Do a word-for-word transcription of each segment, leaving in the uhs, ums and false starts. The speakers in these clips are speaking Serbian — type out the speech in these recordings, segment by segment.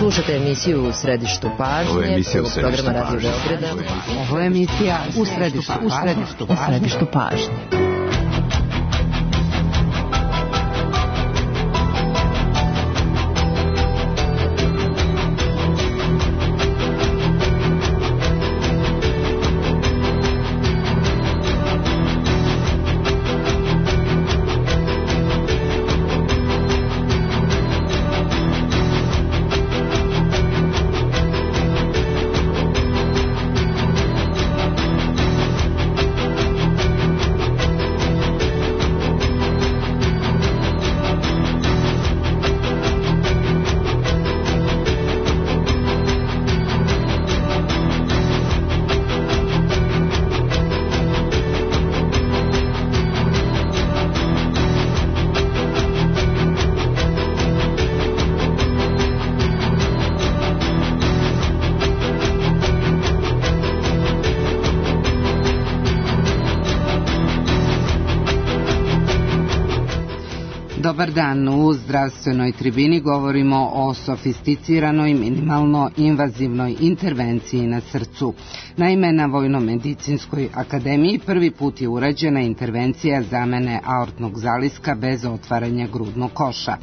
Slušate emisiju U središtu pažnje, prvog programa Radio Beograda. Ovo je emisija U središtu, u središtu, u središtu pažnje. Dobar dan, u zdravstvenoj tribini govorimo o sofisticiranoj, minimalno invazivnoj intervenciji na srcu. Naime, na Vojno-medicinskoj akademiji prvi put je urađena intervencija zamene aortnog zaliska bez otvaranja grudnog koša.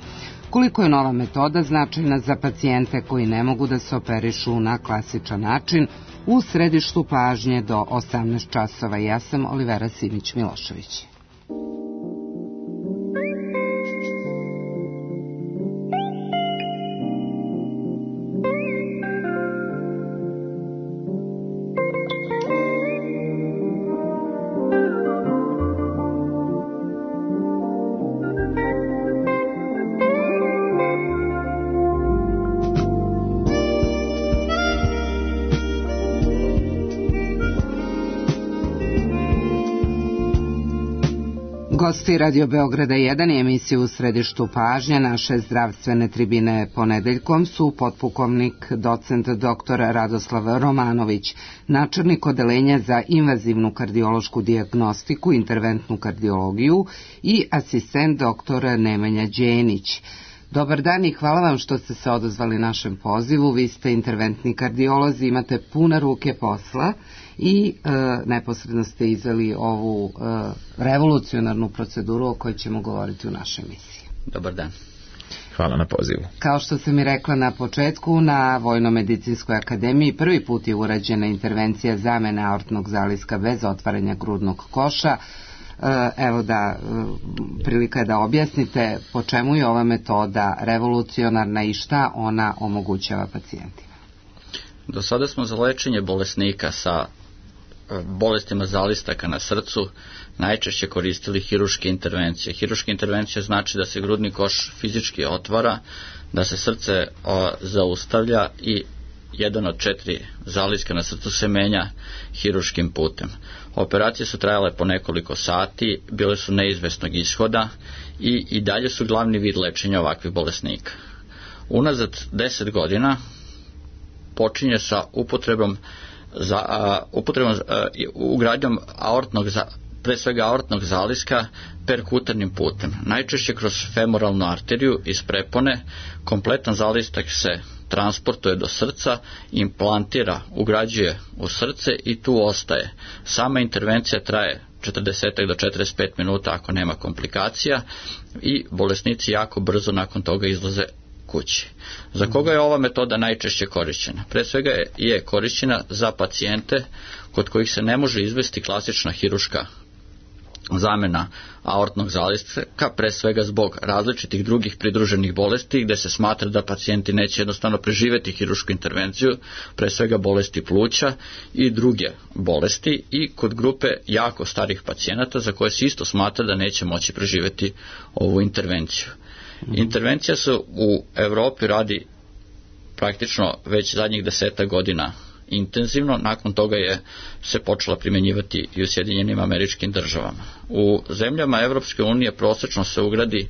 Koliko je nova metoda značajna za pacijente koji ne mogu da se operišu na klasičan način, u središtu pažnje do osamnaest časova. Ja sam Olivera Simić-Milošević. Gosti Radio Beograda jedan i emisiju U središtu pažnje naše zdravstvene tribine ponedeljkom su potpukovnik docent doktor Radoslav Romanović, načelnik odeljenja za invazivnu kardiološku dijagnostiku, interventnu kardiologiju i asistent doktor Nemanja Đenić. Dobar dan i hvala vam što ste se odazvali našem pozivu. Vi ste interventni kardiolozi, imate pune ruke posla i e, neposredno ste izveli ovu e, revolucionarnu proceduru o kojoj ćemo govoriti u našoj emisiji. Dobar dan. Hvala na pozivu. Kao što sam i rekla na početku, na Vojno-medicinskoj akademiji prvi put je urađena intervencija zamene aortnog zaliska bez otvaranja grudnog koša. Evo da, prilika je da objasnite po čemu je ova metoda revolucionarna i šta ona omogućava pacijentima. Do sada smo za lečenje bolesnika sa bolestima zalistaka na srcu najčešće koristili hiruške intervencije. Hiruške intervencije znači da se grudni koš fizički otvara, da se srce o, zaustavlja i jedan od četiri zaliska na srcu se menja hiruškim putem. Operacije su trajale po nekoliko sati, bile su neizvesnog ishoda i, i dalje su glavni vid lečenja ovakvih bolesnika. Unazad deset godina počinje sa upotrebom za a, upotrebom a, ugradnjom aortnog za, pre svega aortnog zaliska perkutarnim putem. Najčešće kroz femoralnu arteriju iz prepone kompletan zalistak se transportuje do srca, implantira, ugrađuje u srce i tu ostaje. Sama intervencija traje četrdeset do četrdeset pet minuta ako nema komplikacija i bolesnici jako brzo nakon toga izlaze kući. Za koga je ova metoda najčešće korišćena? Pre svega je korišćena za pacijente kod kojih se ne može izvesti klasična hiruška zamena aortnog zaliska, pre svega zbog različitih drugih pridruženih bolesti gde se smatra da pacijenti neće jednostavno preživeti hirušku intervenciju, pre svega bolesti pluća i druge bolesti, i kod grupe jako starih pacijenata za koje se isto smatra da neće moći preživeti ovu intervenciju. Intervencija se u Evropi radi praktično već zadnjih deseta godina intenzivno, nakon toga je se počela primjenjivati i u Sjedinjenim Američkim Državama. U zemljama Evropske unije prosečno se ugradi,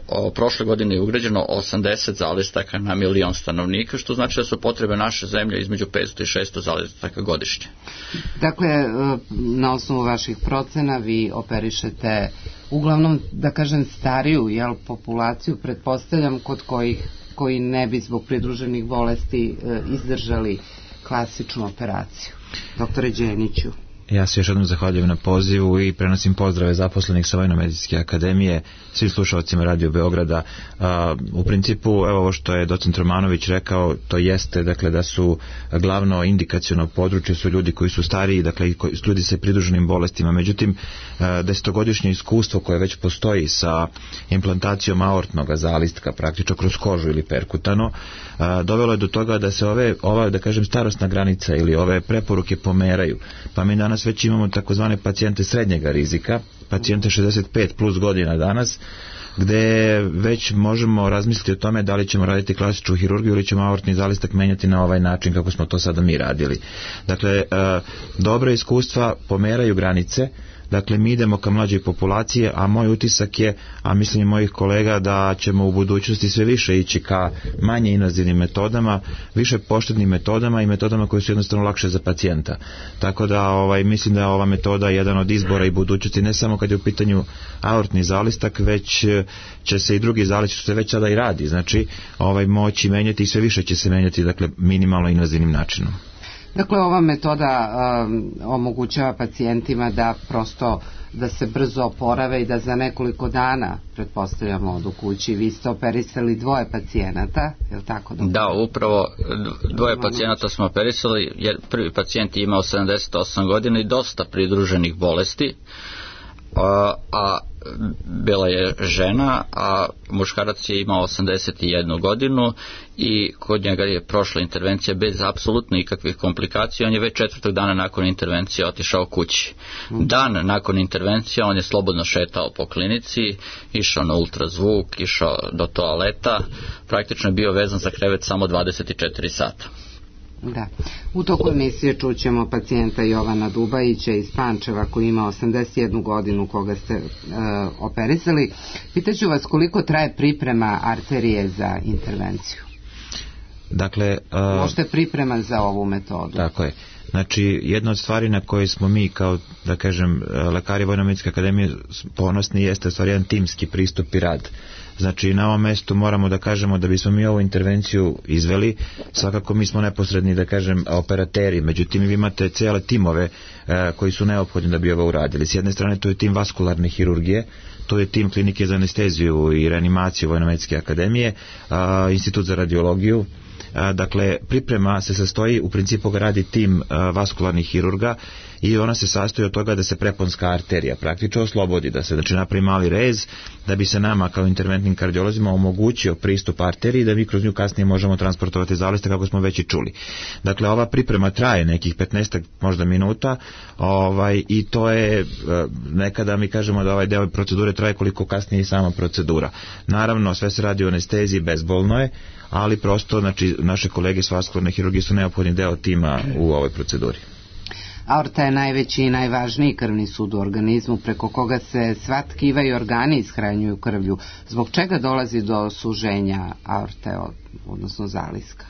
o, prošle godine je ugrađeno osamdeset zalistaka na milion stanovnika, što znači da su potrebe naše zemlje između petsto i šesto zalistaka godišnje. Dakle, na osnovu vaših procena vi operišete uglavnom, da kažem, stariju jel, populaciju, pretpostavljam, kod kojih koji ne bi zbog pridruženih bolesti izdržali klasičnu operaciju. Doktore Đeniću. Ja se još jednom zahvaljujem na pozivu i prenosim pozdrave zaposlenih sa Vojnomedicinske akademije, svim slušalcima Radio Beograda. U principu, evo ovo što je docent Romanović rekao, to jeste dakle, da su glavno indikaciono područje su ljudi koji su stariji, dakle ljudi sa pridruženim bolestima. Međutim, desetogodišnje iskustvo koje već postoji sa implantacijom aortnog zalistka, praktično kroz kožu ili perkutano, dovelo je do toga da se ove, ova, da kažem, starosna granica ili ove preporuke pomeraju. Pa mi danas već imamo takozvane pacijente srednjega rizika, pacijente šezdeset pet plus godina danas, gde već možemo razmisliti o tome da li ćemo raditi klasičnu hirurgiju ili ćemo aortni zalistak menjati na ovaj način kako smo to sada mi radili. Dakle, dobra iskustva pomeraju granice. Dakle, mi idemo ka mlađoj populacije, a moj utisak je, a mislim i mojih kolega, da ćemo u budućnosti sve više ići ka manje invazivnim metodama, više poštednim metodama i metodama koje su jednostavno lakše za pacijenta. Tako da ovaj, mislim da je ova metoda jedan od izbora i budućnosti, ne samo kad je u pitanju aortni zalistak, već će se i drugi zalistak, što se već sada i radi, znači ovaj, moći menjati i sve više će se menjati, dakle, minimalno invazivnim načinom. Dakle, ova metoda um, omogućava pacijentima da prosto da se brzo oporave i da za nekoliko dana, pretpostavljamo, odu kući. Vi ste operisali dvoje pacijenata, je li tako? Doktor? Da, upravo dvoje pacijenata smo operisali, jer prvi pacijent je imao sedamdeset osam godina i dosta pridruženih bolesti, a, a bila je žena, a muškarac je imao osamdeset jednu godinu i kod njega je prošla intervencija bez apsolutno ikakvih komplikacija. On je već četvrtog dana nakon intervencije otišao kući. Dan nakon intervencije on je slobodno šetao po klinici, išao na ultrazvuk, išao do toaleta, praktično je bio vezan za krevet samo dvadeset četiri sata. Da. U toku emisije čućemo pacijenta Jovana Dubajića iz Pančeva koji ima osamdeset jednu godinu koga ste e, operisali. Pitaću vas koliko traje priprema arterije za intervenciju? Dakle, uh, možete priprema za ovu metodu? Tako je. Znači, jedna od stvari na koje smo mi kao, da kažem, lekari Vojnomedicinske akademije ponosni jeste u stvari jedan timski pristup i rad. Znači, na ovom mestu moramo da kažemo da bismo mi ovu intervenciju izveli, svakako mi smo neposredni, da kažem, operateri, međutim vi imate cijele timove e, koji su neophodni da bi ovo uradili. S jedne strane to je tim vaskularne hirurgije, to je tim klinike za anesteziju i reanimaciju Vojnomedicinske akademije, a, institut za radiologiju. Dakle, priprema se sastoji, u principu ga radi tim vaskularnih hirurga i ona se sastoji od toga da se preponska arterija praktično oslobodi, da se znači napravi mali rez, da bi se nama kao interventnim kardiolozima omogućio pristup arteriji, da mi kroz nju kasnije možemo transportovati zaliste kako smo već i čuli. Dakle, ova priprema traje nekih petnaest možda minuta, ovaj, i to je, nekada mi kažemo da ovaj deo procedure traje koliko kasnije i sama procedura. Naravno, sve se radi o anesteziji, bezbolno je, ali prosto, znači, naše kolege s vaskularne hirurgije su neophodni deo tima u ovoj proceduri. Aorta je najveći i najvažniji krvni sud u organizmu preko koga se sva tkiva i organi ishranjuju krvlju. Zbog čega dolazi do suženja aorte, odnosno zaliska?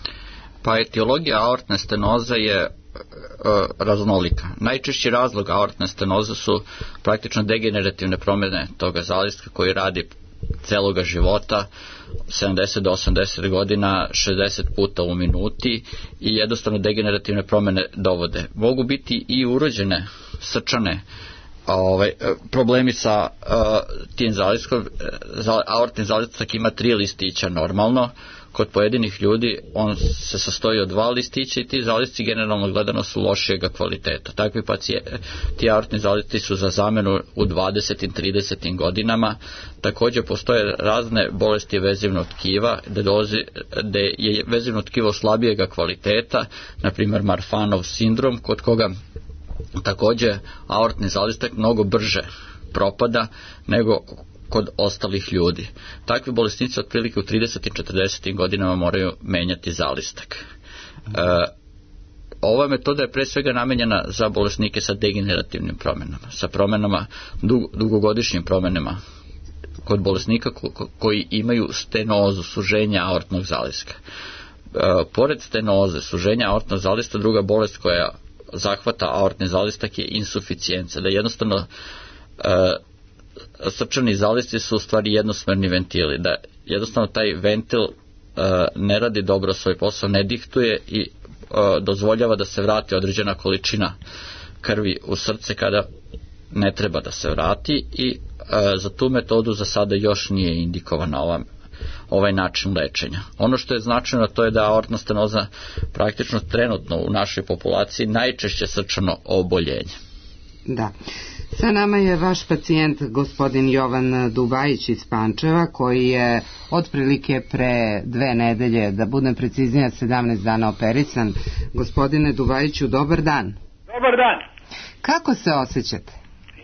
Pa etiologija aortne stenoze je e, raznolika. Najčešći razlog aortne stenoze su praktično degenerativne promjene toga zaliska koji radi celoga života, sedamdeset do osamdeset godina, šezdeset puta u minuti, i jednostavno degenerativne promjene dovode. Mogu biti i urođene srčane ovaj, problemi sa uh, tim zaliskom. Aortni zalistak ima tri listića normalno. Kod pojedinih ljudi on se sastoji od dva listića i ti zalisci generalno gledano su lošijega kvaliteta. Takvi pacijenti, ti aortni zalisci su za zamenu u dvadesetim tridesetim godinama. Također postoje razne bolesti vezivnog tkiva gde, dolazi, gde je vezivno tkivo slabijega kvaliteta, na primjer Marfanov sindrom, kod koga također aortni zalistak mnogo brže propada nego kod ostalih ljudi. Takvi bolesnici otprilike u tridesetim četrdesetim godinama moraju menjati zalistak. E, ova metoda je pre svega namenjena za bolesnike sa degenerativnim promjenama, sa promjenama, dug, dugogodišnjim promjenama kod bolesnika ko, koji imaju stenozu, suženja aortnog zaliska. E, pored stenoze, suženja aortnog zaliska, druga bolest koja zahvata aortni zalistak je insuficijenca, da jednostavno e, srčani zalisci su u stvari jednosmerni ventili, da jednostavno taj ventil ne radi dobro svoj posao, ne dihtuje i dozvoljava da se vrati određena količina krvi u srce kada ne treba da se vrati i za tu metodu za sada još nije indikovana ova, ovaj način lečenja. Ono što je značajno to je da aortna stenoza praktično trenutno u našoj populaciji najčešće srčano oboljenje. Da. Sa nama je vaš pacijent gospodin Jovan Dubajić iz Pančeva, koji je otprilike pre dve nedelje, da budem preciznija, sedamnaest dana operisan. Gospodine Dubajiću, dobar dan. Dobar dan. Kako se osjećate?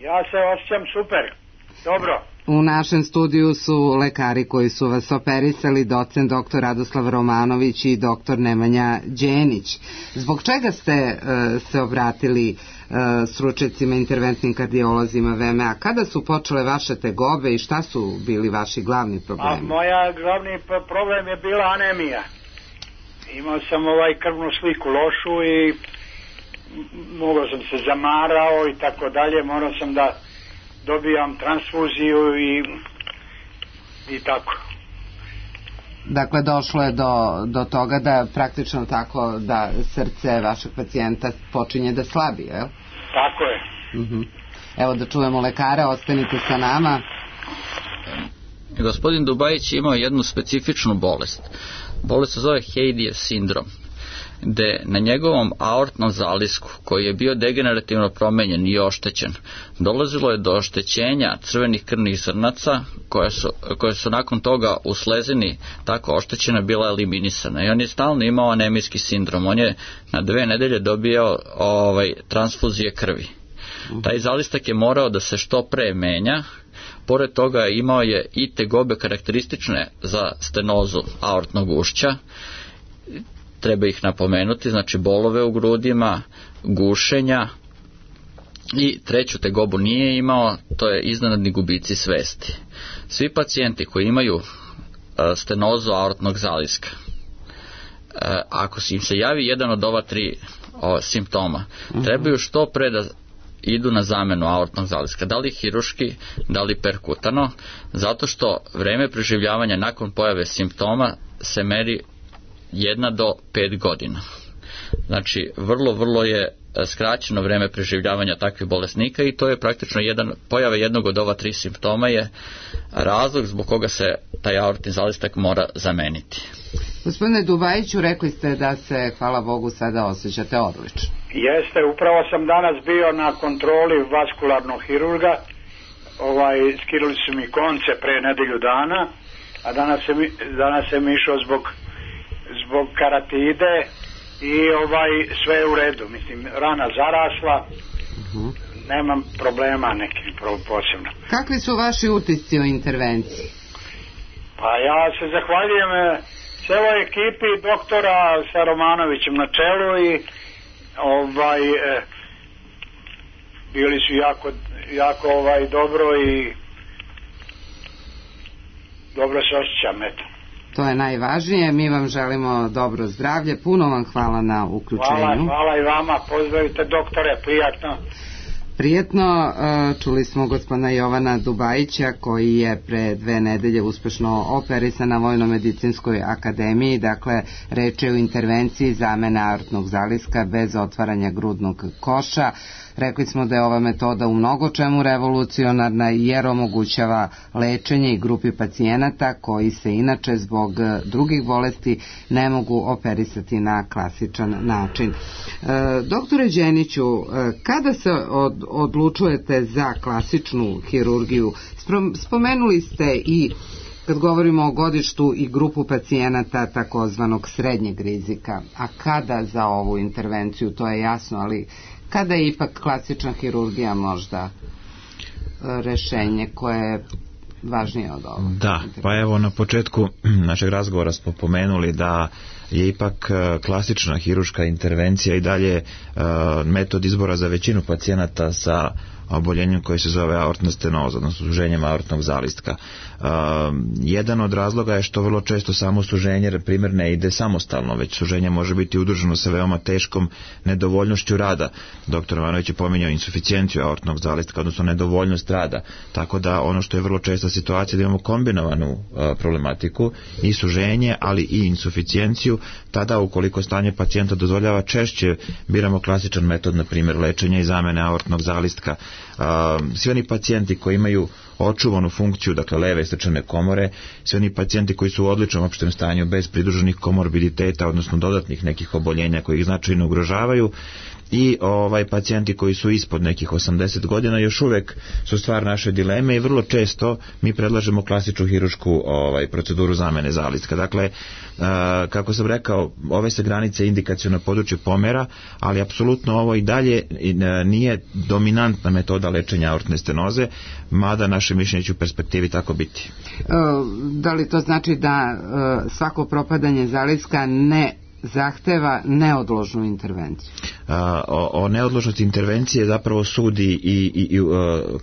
Ja se osjećam super. Dobro. U našem studiju su lekari koji su vas operisali, docent doktor Radoslav Romanović i doktor Nemanja Đenić. Zbog čega ste uh, se obratili uh, stručnjacima, interventnim kardiolozima V M A? Kada su počele vaše tegobe i šta su bili vaši glavni problemi? A moja glavni problem je bila anemija. Imao sam ovaj krvnu sliku lošu i mogao sam se zamarao i tako dalje, morao sam da dobijam transfuziju i, i tako. Dakle, došlo je do, do toga da praktično tako da srce vašeg pacijenta počinje da slabi, je li? Tako je. Uh-huh. Evo da čujemo lekara, ostanite sa nama. Gospodin Dubajić imao jednu specifičnu bolest. Bolest se zove Heidijev sindrom, gde na njegovom aortnom zalisku, koji je bio degenerativno promenjen i oštećen, dolazilo je do oštećenja crvenih krvnih zrnaca, koje su, koje su nakon toga u slezini tako oštećena bila eliminisana. I on je stalno imao anemijski sindrom. On je na dve nedelje dobio ovaj, transfuzije krvi. Taj zalistak je morao da se što pre menja. Pored toga imao je i tegobe karakteristične za stenozu aortnog ušća. Treba ih napomenuti, znači bolove u grudima, gušenja i treću tegobu nije imao, to je iznenadni gubici svesti. Svi pacijenti koji imaju stenozu aortnog zaliska, ako im se javi jedan od ova tri o, simptoma, trebaju što pre da idu na zamenu aortnog zaliska, da li hiruški, da li perkutano, zato što vreme preživljavanja nakon pojave simptoma se meri jedna do pet godina. Znači, vrlo, vrlo je skraćeno vreme preživljavanja takvih bolesnika i to je praktično jedan, pojava jednog od ova tri simptoma je razlog zbog koga se taj aortni zalistak mora zameniti. Gospodine Dubajiću, rekli ste da se, hvala Bogu, sada osjećate odlično. Jeste, upravo sam danas bio na kontroli vaskularnog hirurga, ovaj, skirali su mi konce pre nedelju dana, a danas sam, danas sam išao zbog zbog karatide i ovaj sve je u redu, mislim, rana zarasla, uh-huh. Nemam problema nekih posebno. Kakvi su vaši utisci o intervenciji? Pa ja se zahvaljujem celoj ekipi doktora sa Romanovićem na čelu i ovaj eh, bili su jako, jako ovaj dobro i dobro se osjećam, eto. To je najvažnije, mi vam želimo dobro zdravlje, puno vam hvala na uključenju. Hvala, hvala i vama, pozdravite doktore, prijatno. Prijetno, čuli smo gospodina Jovana Dubajića koji je pre dve nedelje uspešno operisan na Vojno-medicinskoj akademiji, dakle reč je o intervenciji zamene aortnog zaliska bez otvaranja grudnog koša. Rekli smo da je ova metoda u mnogo čemu revolucionarna jer omogućava lečenje i grupi pacijenata koji se inače zbog drugih bolesti ne mogu operisati na klasičan način. E, doktore Đeniću, kada se od, odlučujete za klasičnu hirurgiju? Spomenuli ste i kad govorimo o godištu i grupu pacijenata takozvanog srednjeg rizika, a kada za ovu intervenciju, to je jasno, ali kada je ipak klasična hirurgija možda rešenje koje je važnije od ovoga? Da, pa evo na početku našeg razgovora smo pomenuli da je ipak klasična hiruška intervencija i dalje metod izbora za većinu pacijenata sa oboljenjem koje se zove aortna stenoza, odnosno suženjem aortnog zalistka. Uh, jedan od razloga je što vrlo često samo suženje, primjer, ne ide samostalno, već suženje može biti udruženo sa veoma teškom nedovoljnošću rada. Doktor Ivanović je pominjao insuficijenciju aortnog zalistka, odnosno nedovoljnost rada. Tako da ono što je vrlo česta situacija da imamo kombinovanu uh, problematiku i suženje, ali i insuficijenciju, tada ukoliko stanje pacijenta dozvoljava, češće biramo klasičan metod, na primjer lečenja i zamene aortnog zalistka. Uh, svi oni pacijenti koji imaju očuvanu funkciju, dakle leve srčane komore, svi oni pacijenti koji su u odličnom opštem stanju bez pridruženih komorbiditeta, odnosno dodatnih nekih oboljenja koji ih značajno ugrožavaju, i ovaj pacijenti koji su ispod nekih osamdeset godina još uvek su stvar naše dileme i vrlo često mi predlažemo klasičnu hirušku ovaj, proceduru zamene zalistka. Dakle, a, kako sam rekao, ove se granice indikaciono područje pomera, ali apsolutno ovo i dalje nije dominantna metoda lečenja aortne stenoze, mada naše mišljenje će u perspektivi tako biti. Da li to znači da svako propadanje zalistka ne zahteva neodložnu intervenciju? A, o, o neodložnosti intervencije zapravo sudi i, i, i uh,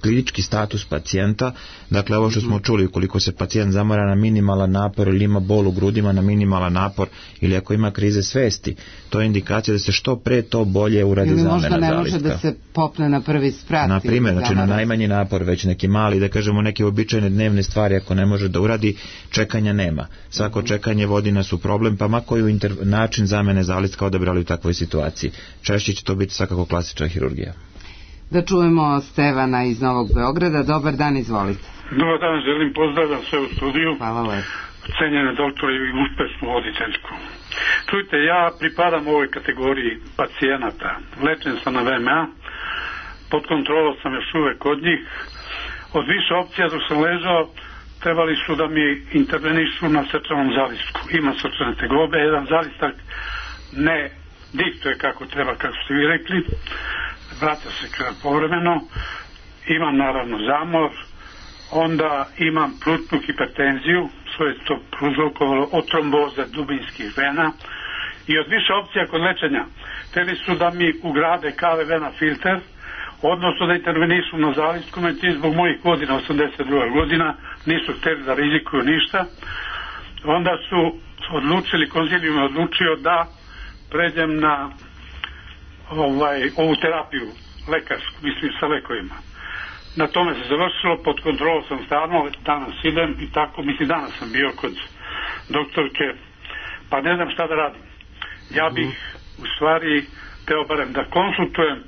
klinički status pacijenta. Dakle, ovo što smo čuli, ukoliko se pacijent zamara na minimalan napor ili ima bol u grudima na minimalan napor ili ako ima krize svesti, to je indikacija da se što pre to bolje uradi zamena zalistka. Ili možda ne može da se popne na prvi sprat. Na primjer, znači na najmanji napor, već neki mali, da kažemo neke običajne dnevne stvari, ako ne može da uradi, čekanja nema. Svako čekanje vodi nas u problem, pa ma koju inter... način zamene zalistka odabrali u takvoj situaciji. Češće će to biti svakako klasična hirurgija. Da čujemo Stevana iz Novog Beograda. Dobar dan, izvolite. Dobar dan, želim pozdravljam sve u studiju. Hvala lepo. Cenjene doktore i uspešnu voditeljku. Čujte, ja pripadam ovoj kategoriji pacijenata. Lečen sam na V M A, pod kontrolom sam još uvek kod njih. Od više opcija dok sam ležao, trebali su da mi intervenišu na srčanom zalistku. Ima srčane tegobe, jedan zalistak ne diktuje kako treba, kako ste vi rekli, vraća se krv povremeno, imam naravno zamor, onda imam plutnu hipertenziju, što je to prouzrokovalo od tromboze dubinskih vena, i od više opcija kod lečenja hteli su da mi ugrade K V vena filter, odnosno da intervenišu na zalistku, međutim zbog mojih godina, osamdeset druga godina, nisu hteli da rizikuju ništa. Onda su odlučili, konzilijum je odlučio da pređem na ovaj, ovu terapiju lekarsku, mislim sa lekovima. Na tome se završilo, pod kontrolom sam stalno, danas idem i tako, mislim danas sam bio kod doktorke, pa ne znam šta da radim. Ja bih u stvari teo barem da konsultujem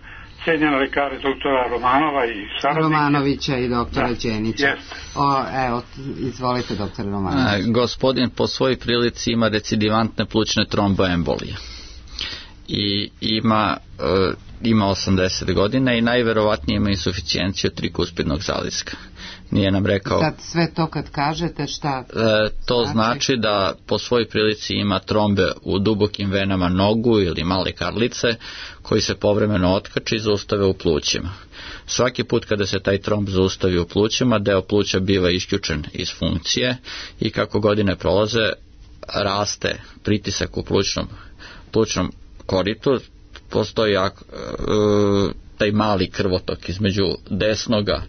cenjene lekare doktora Romanova i saradnike. Romanovića i doktora Đenića. O, evo, izvolite, doktor Romanović. E, gospodin po svojoj prilici ima recidivantne plućne tromboembolije i ima, e, ima osamdeset godina i najverovatnije ima insuficijenciju trikuspidnog zaliska. Nije nam rekao... Sad sve to kad kažete šta... E, to znači? znači da po svojoj prilici ima trombe u dubokim venama nogu ili male karlice koji se povremeno otkači i zaustave u plućima. Svaki put kada se taj tromb zaustavi u plućima, deo pluća biva isključen iz funkcije i kako godine prolaze raste pritisak u plućnom, plućnom koritu, postoji jak, e, taj mali krvotok između desnoga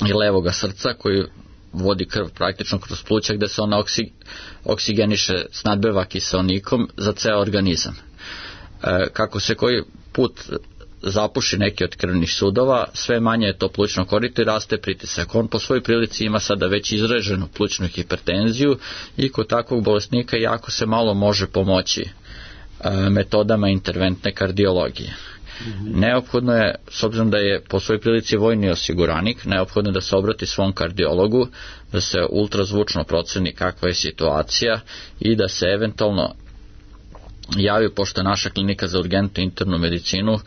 i levoga srca koji vodi krv praktično kroz pluća gde se ona oksig, oksigeniše, snadbeva kiseonikom za ceo organizam. E, kako se koji put zapuši neki od krvnih sudova, sve manje je to plućno korito i raste pritisak. On po svojoj prilici ima sada već izraženu plućnu hipertenziju i kod takvog bolesnika jako se malo može pomoći e, metodama interventne kardiologije. Neophodno je, s obzirom da je po svojoj prilici vojni osiguranik, neophodno je da se obrati svom kardiologu, da se ultrazvučno proceni kakva je situacija i da se eventualno javi, pošto je naša klinika za urgentnu internu medicinu e,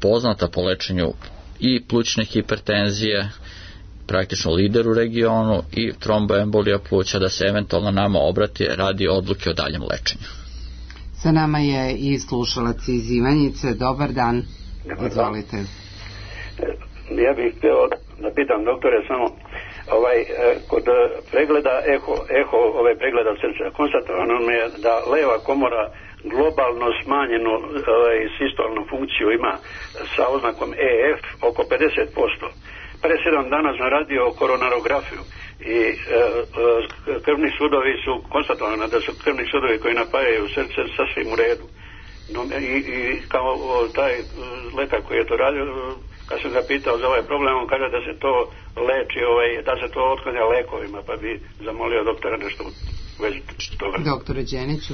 poznata po lečenju i plućne hipertenzije, praktično lider u regionu, i tromboembolija pluća, da se eventualno nama obrati radi odluke o daljem lečenju. Sa nama je i slušalac iz Ivanjice. Dobar dan. Izvolite. Ja bih htio da pitam doktore samo ovaj, kod pregleda eho, eho ove pregleda srca konstatovano mi je da leva komora globalno smanjenu ovaj, sistolnu funkciju, ima sa oznakom E F oko pedeset posto. Pre sedam dana sam radio koronarografiju i e, e, krvni sudovi su konstatovani da su krvni sudovi koji napajaju srce sasvim u redu. No, i, i kao o, taj lekar koji je to radio, kad sam ga pitao za ovaj problem, on kaže da se to leči, ovaj, da se to otklanja lekovima, pa bi zamolio doktora nešto u vezi toga. Doktore Đeniću.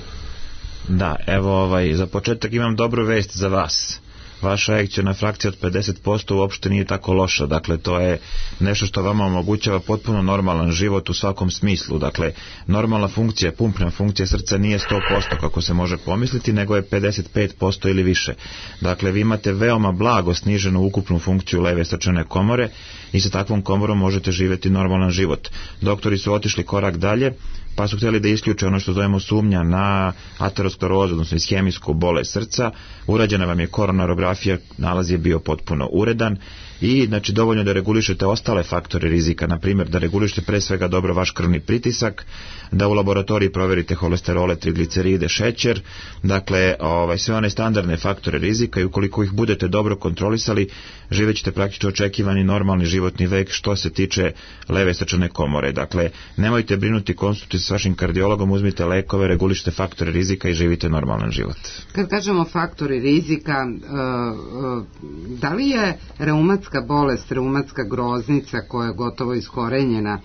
Da, evo ovaj, za početak imam dobru vest za vas. Vaša ekciona frakcija od pedeset posto uopšte nije tako loša, dakle to je nešto što vama omogućava potpuno normalan život u svakom smislu, dakle normalna funkcija, pumpna funkcija srca nije sto posto kako se može pomisliti, nego je pedeset pet posto ili više. Dakle vi imate veoma blago sniženu ukupnu funkciju leve srčane komore i sa takvom komorom možete živjeti normalan život. Doktori su otišli korak dalje, pa su htjeli da isključe ono što zovemo sumnja na aterosklerozu, odnosno ishemijsku bolest srca. Urađena vam je koronarografija, nalaz je bio potpuno uredan i znači dovoljno da regulišete ostale faktore rizika, na primjer da regulišete pre svega dobro vaš krvni pritisak, da u laboratoriji proverite holesterole, trigliceride, šećer, dakle ovaj, sve one standardne faktore rizika i ukoliko ih budete dobro kontrolisali, živećete praktično očekivani normalni životni vek što se tiče leve srčane komore. Dakle, nemojte brinuti, konsultujte s vašim kardiologom, uzmite lekove, regulišite faktore rizika i živite normalan život. Kad kažemo faktori rizika, da li je reumatska bolest, reumatska groznica koja je gotovo iskorenjena,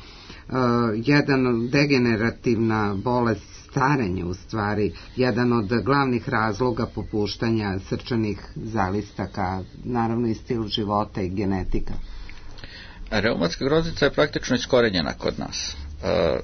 jedan degenerativna bolest, starenje u stvari, jedan od glavnih razloga popuštanja srčanih zalistaka, naravno i stil života i genetika? Reumatska groznica je praktično iskorenjena kod nas. E,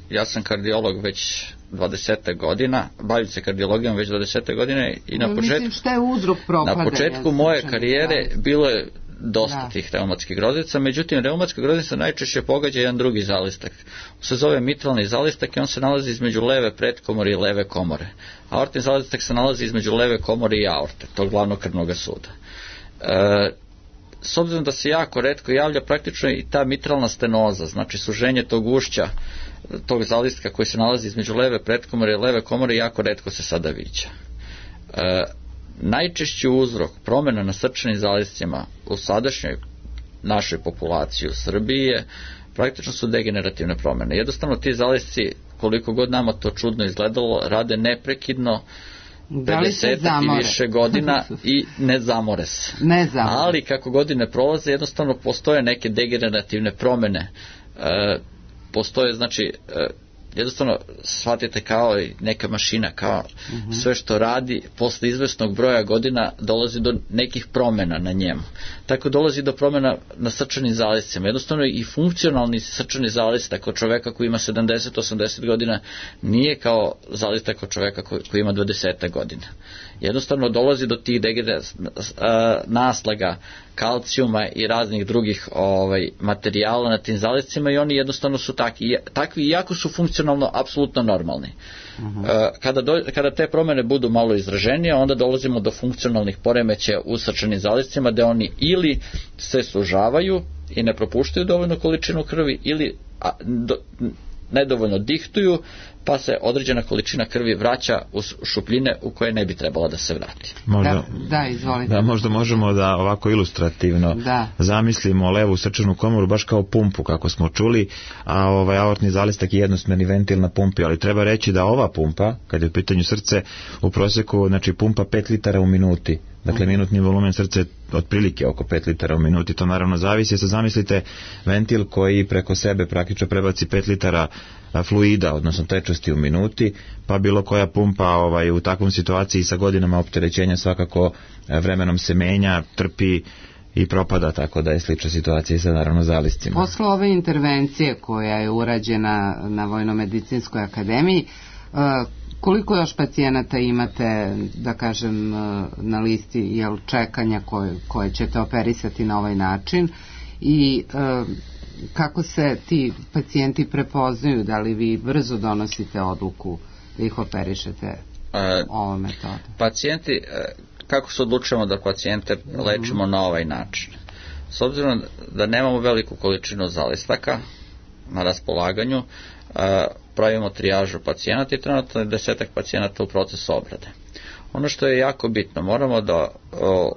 ja sam kardiolog već dvadeset godina, bavim se kardiologijom već dvadeset godine i na početku, Mislim, šta je uzrok propadanja? Na početku moje karijere bilo je dosta da. tih reumatskih groznica, međutim reumatska groznica najčešće pogađa jedan drugi zalistak. On se zove mitralni zalistak i on se nalazi između leve pretkomore i leve komore. Aortni zalistak se nalazi između leve komore i aorte, tog glavnog krvnog suda. E, s obzirom da se jako retko javlja, praktično i ta mitralna stenoza, znači suženje tog ušća, tog zalistka koji se nalazi između leve pretkomore i leve komore, jako retko se sada viđa. E, najčešći uzrok promjena na srčanim zaliscima u sadašnjoj našoj populaciji u Srbiji je praktično su degenerativne promjene. Jednostavno ti zalisci, koliko god nama to čudno izgledalo, rade neprekidno pedeset i više godina i ne zamore se. Ne zamore. Ali kako godine prolaze, jednostavno postoje neke degenerativne promjene. E, postoje, znači, e, jednostavno shvatite kao neka mašina, kao uh-huh. sve što radi posle izvesnog broja godina dolazi do nekih promjena na njemu. Tako dolazi do promjena na srčanim zaliscima. Jednostavno i funkcionalni srčani zalistak kod čoveka koji ima sedamdeset do osamdeset godina nije kao zalistak kod čoveka koji, koji ima dvadeset godina. Jednostavno dolazi do tih naslaga kalcijuma i raznih drugih ovaj, materijala na tim zaliscima i oni jednostavno su takvi, takvi iako su funkcionalno apsolutno normalni. Uh-huh. Kada, do, kada te promjene budu malo izraženije, onda dolazimo do funkcionalnih poremećaja u srčanim zaliscima, gde oni ili se sužavaju i ne propuštaju dovoljnu količinu krvi ili a, do, nedovoljno dihtuju, pa se određena količina krvi vraća u šupljine u koje ne bi trebala da se vrati. Možda, da, da, izvolite. Da, možda možemo da ovako ilustrativno da. zamislimo levu srčanu komoru baš kao pumpu, kako smo čuli, a ovaj aortni zalistak je jednosmerni ventil na pumpi, ali treba reći da ova pumpa, kad je u pitanju srce, u prosjeku, znači pumpa pet litara u minuti. Dakle, minutni volumen srca je otprilike oko pet litara u minuti. To naravno zavisi. Sad zamislite ventil koji preko sebe praktično prebaci pet litara fluida, odnosno tečnosti u minuti, pa bilo koja pumpa ovaj, u takvom situaciji sa godinama opterećenja svakako vremenom se menja, trpi i propada, tako da je slična situacija i sa naravno zaliscima. Posle ove intervencije koja je urađena na Vojnomedicinskoj akademiji, koliko još pacijenata imate, da kažem, na listi jel, čekanja koje, koje ćete operisati na ovaj način i e, kako se ti pacijenti prepoznaju, da li vi brzo donosite odluku da ih operišete e, ovom metodom? Pacijenti, kako se odlučujemo da pacijente lečimo mm. na ovaj način? S obzirom da nemamo veliku količinu zalistaka, na raspolaganju, pravimo trijažu pacijenata i trenutno je desetak pacijenata u procesu obrade. Ono što je jako bitno, moramo da o,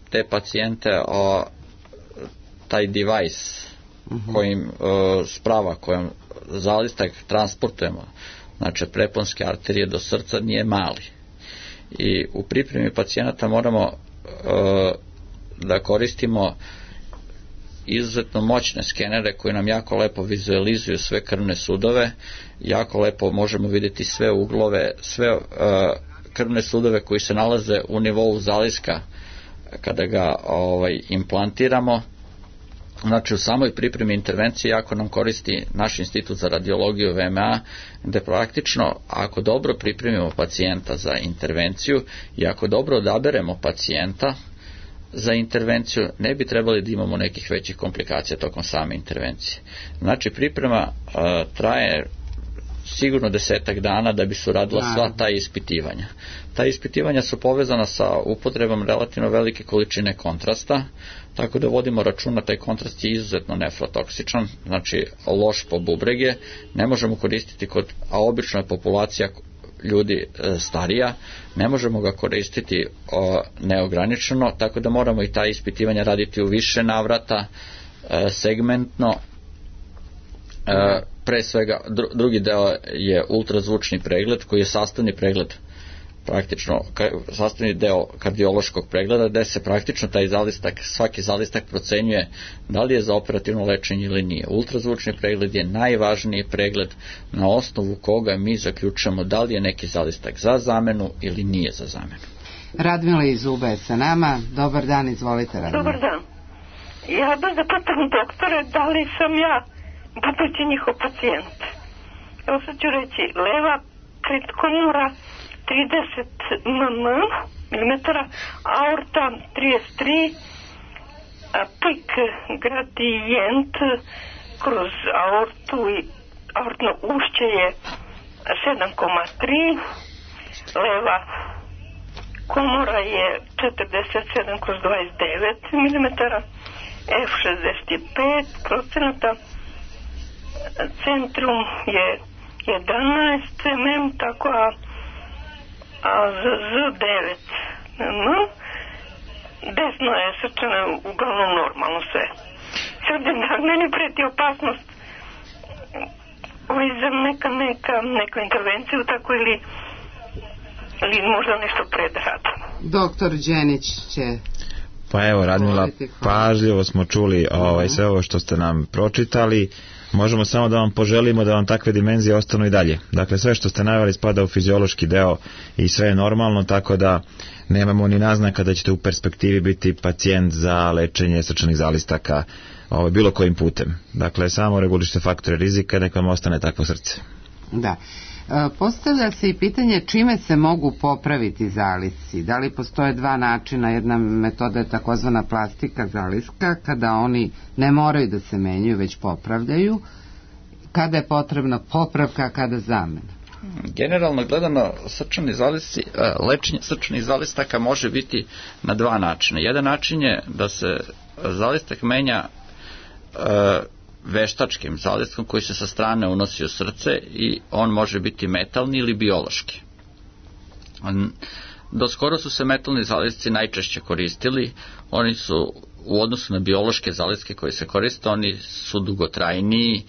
te pacijente, o, taj device uh-huh. kojim o, sprava kojom zalistak transportujemo, znači preponske arterije do srca, nije mali. I u pripremi pacijenata moramo o, da koristimo izuzetno moćne skenere koji nam jako lepo vizualizuju sve krvne sudove, jako lepo možemo vidjeti sve uglove, sve uh, krvne sudove koji se nalaze u nivou zaliska kada ga ovaj, implantiramo. Znači u samoj pripremi intervencije jako nam koristi naš institut za radiologiju V M A, gde praktično ako dobro pripremimo pacijenta za intervenciju i ako dobro odaberemo pacijenta za intervenciju, ne bi trebali da imamo nekih većih komplikacija tokom same intervencije. Znači priprema uh, traje sigurno desetak dana da bi se uradila sva ta ispitivanja. Ta ispitivanja su povezana sa upotrebom relativno velike količine kontrasta, tako da vodimo računa, taj kontrast je izuzetno nefrotoksičan, znači loš po bubrege, ne možemo koristiti kod, a obično je populacija ljudi e, starija, ne možemo ga koristiti o, neograničeno, tako da moramo i ta ispitivanja raditi u više navrata, e, segmentno. E, pre svega, dru, drugi deo je ultrazvučni pregled, koji je sastavni pregled, praktično ka, sastavni deo kardiološkog pregleda, gde se praktično taj zalistak, svaki zalistak procenjuje da li je za operativno lečenje ili nije. Ultrazvučni pregled je najvažniji pregled na osnovu koga mi zaključujemo da li je neki zalistak za zamenu ili nije za zamenu. Radmila iz Uba je sa nama. Dobar dan, izvolite Radmila. Dobar dan. Ja bih da pitam doktore da li sam ja budući njihov pacijent. Evo sad ću reći, leva kritkomora trideset milimetara, aorta trideset tri, pik gradijent kroz aortu i aortno ušće je sedam zarez tri, leva komora je četrdeset sedam kroz dvadeset devet milimetara, F šezdeset pet procenata, centrum je jedanaest milimetara, tako a a Z devet. No, desno je srčano uglavnom normalno sve. Sad da meni preti opasnost ovaj za neka, neka, neku intervenciju tako ili, ili možda nešto pred radom. Doktor Đenić će... Pa evo, Radmila, pažljivo smo čuli ovaj, sve ovo što ste nam pročitali. Možemo samo da vam poželimo da vam takve dimenzije ostanu i dalje. Dakle, sve što ste naveli spada u fiziološki deo i sve je normalno, tako da nemamo ni naznaka da ćete u perspektivi biti pacijent za lečenje srčanih zalistaka ovaj, bilo kojim putem. Dakle, samo regulišite faktore rizika, nek vam ostane takvo srce. Da. Postavlja se i pitanje čime se mogu popraviti zalisci. Da li postoje dva načina? Jedna metoda je takozvana plastika zaliska, kada oni ne moraju da se menjaju, već popravljaju. Kada je potrebna popravka, kada zamena? Generalno gledano, srčani zalisci, lečenje srčanih zalistaka može biti na dva načina. Jedan način je da se zalistak menja veštačkim zalistkom koji se sa strane unosi u srce i on može biti metalni ili biološki. Do skoro su se metalni zalisci najčešće koristili, oni su u odnosu na biološke zalistke koje se koriste, oni su dugotrajniji,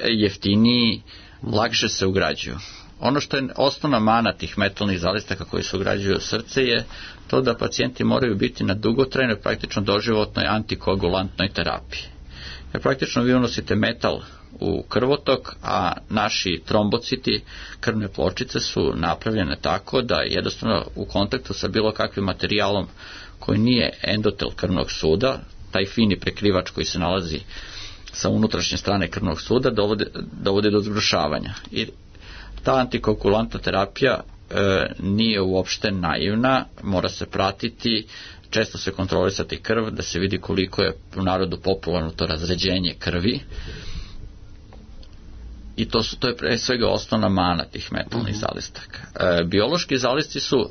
jeftiniji, lakše se ugrađuju. Ono što je osnovna mana tih metalnih zalistaka koji se ugrađuju u srce je to da pacijenti moraju biti na dugotrajnoj, praktično doživotnoj antikoagulantnoj terapiji. Jer praktično vi unosite metal u krvotok, a naši trombociti, krvne pločice su napravljene tako da jednostavno u kontaktu sa bilo kakvim materijalom koji nije endotel krvnog suda, taj fini prekrivač koji se nalazi sa unutrašnje strane krvnog suda, dovode, dovode do zgrušavanja. I ta antikoagulantna terapija e, nije uopšte naivna, mora se pratiti, često se kontrolisati krv, da se vidi koliko je u narodu popularno to razređenje krvi. I to, su, to je pre svega osnovna mana tih metalnih zalistaka. E, biološki zalisci su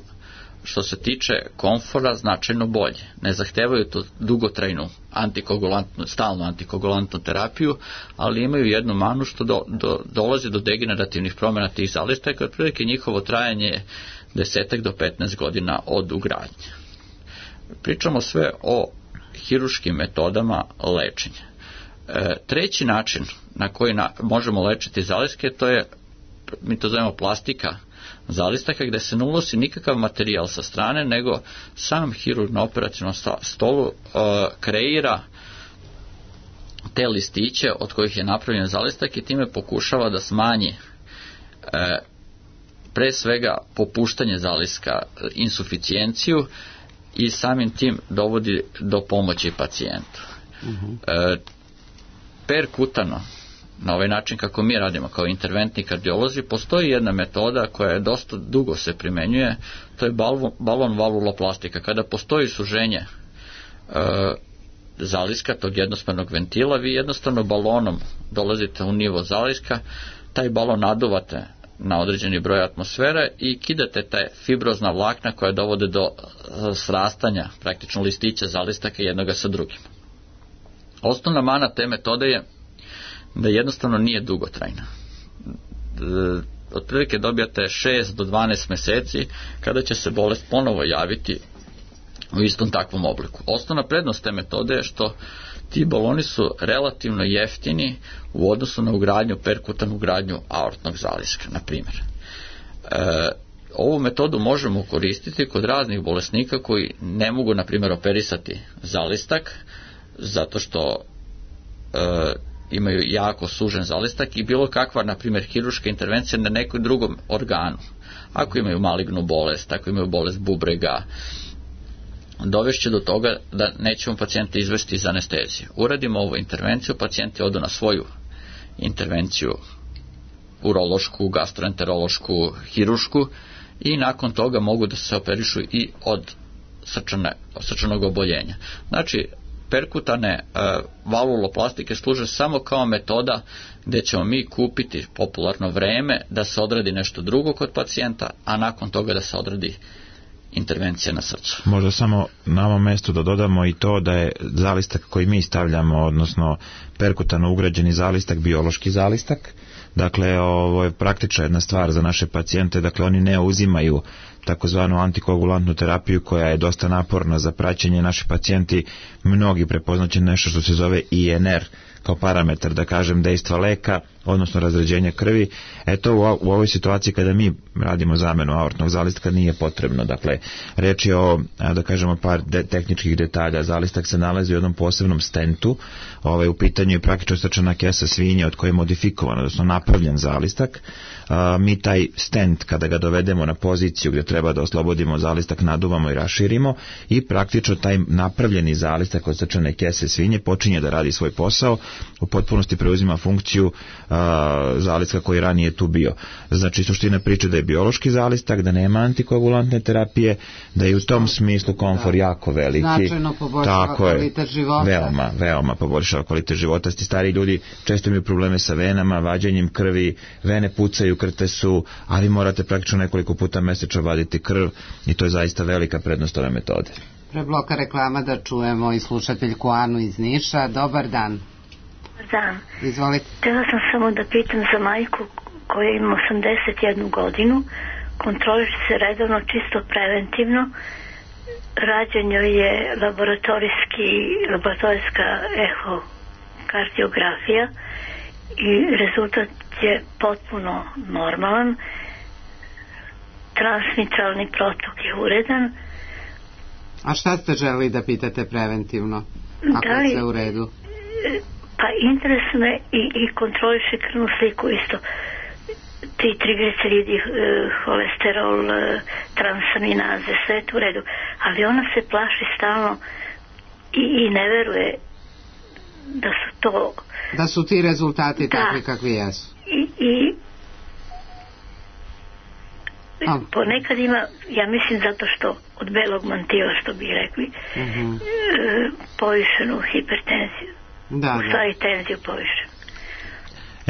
što se tiče komfora značajno bolje. Ne zahtevaju to dugotrajnu antikoagulantnu, stalnu antikoagulantnu terapiju, ali imaju jednu manu što do, do, dolazi do degenerativnih promjena tih zalistaka, otprilike njihovo trajanje je desetak do petnaest godina od ugradnje. Pričamo sve o hiruškim metodama lečenja. E, treći način na koji na, možemo lečiti zaliske, to je, mi to zovemo plastika zalistaka, gde se ne unosi nikakav materijal sa strane, nego sam hirurg na operacionom stolu uh, kreira te listiće od kojih je napravljen zalistak i time pokušava da smanji uh, pre svega popuštanje zaliska, insuficijenciju, i samim tim dovodi do pomoći pacijentu. Uh-huh. Uh, perkutano, na ovaj način kako mi radimo kao interventni kardiolozi, postoji jedna metoda koja je dosta dugo se primenjuje, to je balon, balon valvuloplastika. Kada postoji suženje e, zaliska, tog jednosmernog ventila, vi jednostavno balonom dolazite u nivo zaliska, taj balon naduvate na određeni broj atmosfere i kidate te fibrozna vlakna koja dovode do srastanja praktično listića zalistaka jednoga sa drugim. Osnovna mana te metode je da jednostavno nije dugotrajna. Otprilike dobijate šest do dvanaest meseci kada će se bolest ponovo javiti u istom takvom obliku. Osnovna prednost te metode je što ti baloni su relativno jeftini u odnosu na ugradnju, perkutanu ugradnju aortnog zaliska, na primjer. E, ovu metodu možemo koristiti kod raznih bolesnika koji ne mogu, na primjer, operisati zalistak zato što e, imaju jako sužen zalistak i bilo kakva, na primjer, hiruška intervencija na nekom drugom organu. Ako imaju malignu bolest, ako imaju bolest bubrega, dovešće do toga da nećemo pacijenta izvesti iz anestezije. Uradimo ovu intervenciju, pacijenti odu na svoju intervenciju urološku, gastroenterološku, hirušku i nakon toga mogu da se operišu i od srčane, srčanog oboljenja. Znači, perkutane uh, valvuloplastike služe samo kao metoda gde ćemo mi kupiti popularno vreme da se odradi nešto drugo kod pacijenta, a nakon toga da se odradi intervencija na srcu. Možda samo na ovom mjestu da dodamo i to da je zalistak koji mi stavljamo, odnosno perkutano ugrađeni zalistak, biološki zalistak. Dakle, ovo je praktična jedna stvar za naše pacijente, dakle oni ne uzimaju takozvanu antikoagulantnu terapiju koja je dosta naporna za praćenje. Naši pacijenti mnogi prepoznaće nešto što se zove I N R kao parametar, da kažem, dejstva leka, odnosno razređenja krvi. Eto, u, u ovoj situaciji kada mi radimo zamenu aortnog zalistka nije potrebno. Dakle, reč je o, da kažemo, par de, tehničkih detalja. Zalistak se nalazi u jednom posebnom stentu. Ovaj, u pitanju je praktično srčana kesa svinje od koje je modifikovan, odnosno napravljen zalistak. A, mi taj stent, kada ga dovedemo na poziciju gdje treba da oslobodimo zalistak, naduvamo i raširimo i praktično taj napravljeni zalistak od srčane kese svinje počinje da radi svoj posao, u potpunosti preuzima funkciju a, zalistka koji ranije tu bio. Znači, suština priče da je biološki zalistak, da nema antikoagulantne terapije, da je u tom smislu komfor jako veliki. Značajno poboljšava kvalitet života. Veoma, veoma poboljšava kvalitet života. Sti stari ljudi često imaju probleme sa venama, vađenjem krvi, vene pucaju, krte su, a vi morate praktično nekoliko puta mesečno vaditi krv i to je zaista velika prednost ove metode. Pre bloka reklama da čujemo i slušateljku Anu iz Niša. Dobar dan. Dan. Izvolite. Htjela sam samo da pitam za majku koja ima osamdeset jednu godinu, kontroliše se redovno, čisto preventivno, rađen joj je laboratorijski, laboratorijska ehokardiografija i rezultat je potpuno normalan, transmitralni protok je uredan. A šta ste želeli da pitate preventivno? Ako da li, je sve u redu? Pa interesuje i, i kontroliše krvnu sliku isto. Ti trigliceridi, holesterol, transaminaze, sve je u redu. Ali ona se plaši stalno i, i ne veruje da su to... Da su ti rezultati da, takvi kakvi jesu. I, i A. ponekad ima, ja mislim zato što od belog mantila, što bi rekli, uh-huh. e, povišenu hipertenziju. Da, u stvari tenziju povišenu.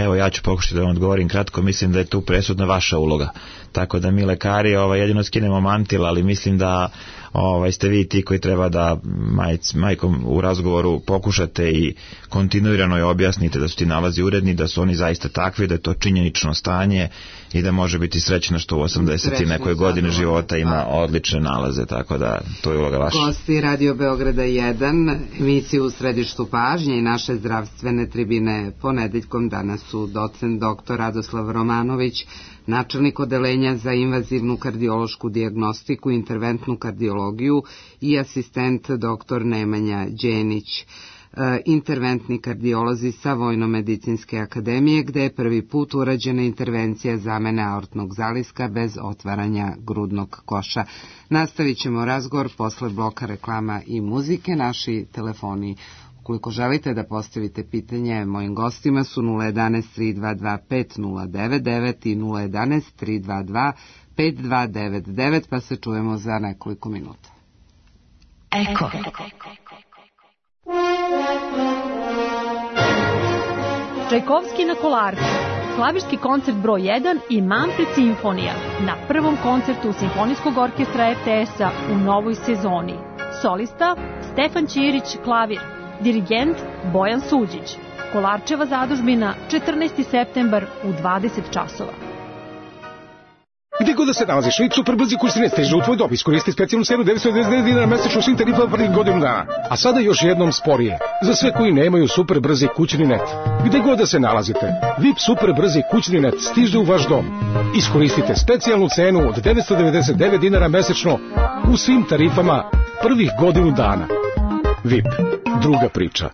Evo, ja ću pokušati da vam odgovorim kratko, mislim da je tu presudna vaša uloga. Tako da mi lekari ovaj, jedino skinemo mantil, ali mislim da ovaj, ste vi ti koji treba da majc, majkom u razgovoru pokušate i kontinuirano je objasnite da su ti nalazi uredni, da su oni zaista takvi, da je to činjenično stanje i da može biti srećna što u osamdeset i nekoj godine života ima odlične nalaze, tako da to je uloga vaša. Gosti Radio Beograda jedan, emisiju u središtu pažnje i naše zdravstvene tribine ponedeljkom danas su docent doktor Radoslav Romanović, načelnik odeljenja za invazivnu kardiološku dijagnostiku i interventnu kardiologiju i asistent doktor Nemanja Đenić, interventni kardiolozi sa Vojno-medicinske akademije, gde je prvi put urađena intervencija zamene aortnog zaliska bez otvaranja grudnog koša. Nastavit ćemo razgovor posle bloka reklama i muzike. Naši telefoni, ukoliko želite da postavite pitanje mojim gostima, su nula jedanaest tri dva dva pet nula devet devet i nula jedanaest tri dva dva pet dva devet devet, pa se čujemo za nekoliko minuta. Eko. Čajkovski na Kolarcu, klavirski koncert broj jedan i Manfred simfonija na prvom koncertu Simfonijskog orkestra er te es-a u novoj sezoni. Solista Stefan Ćirić, klavir, dirigent Bojan Suđić. Kolarčeva zadužbina, četrnaesti septembar u dvadeset časova. Gde god da se nalaziš, super brzi kursine stiže u tvoj dom. Iskoristi specijalnu cenu devetsto devedeset devet dinara mesečno svim tarifama prvih godinu dana. A sada još jednom sporije. Za sve koji nemaju super brzi kućni net. Gde god da se nalazite, V I P super brzi kućni net stiže u vaš dom. Iskoristite specijalnu cenu od devetsto devedeset devet dinara mesečno u svim tarifama prvih godinu dana. V I P. Druga priča.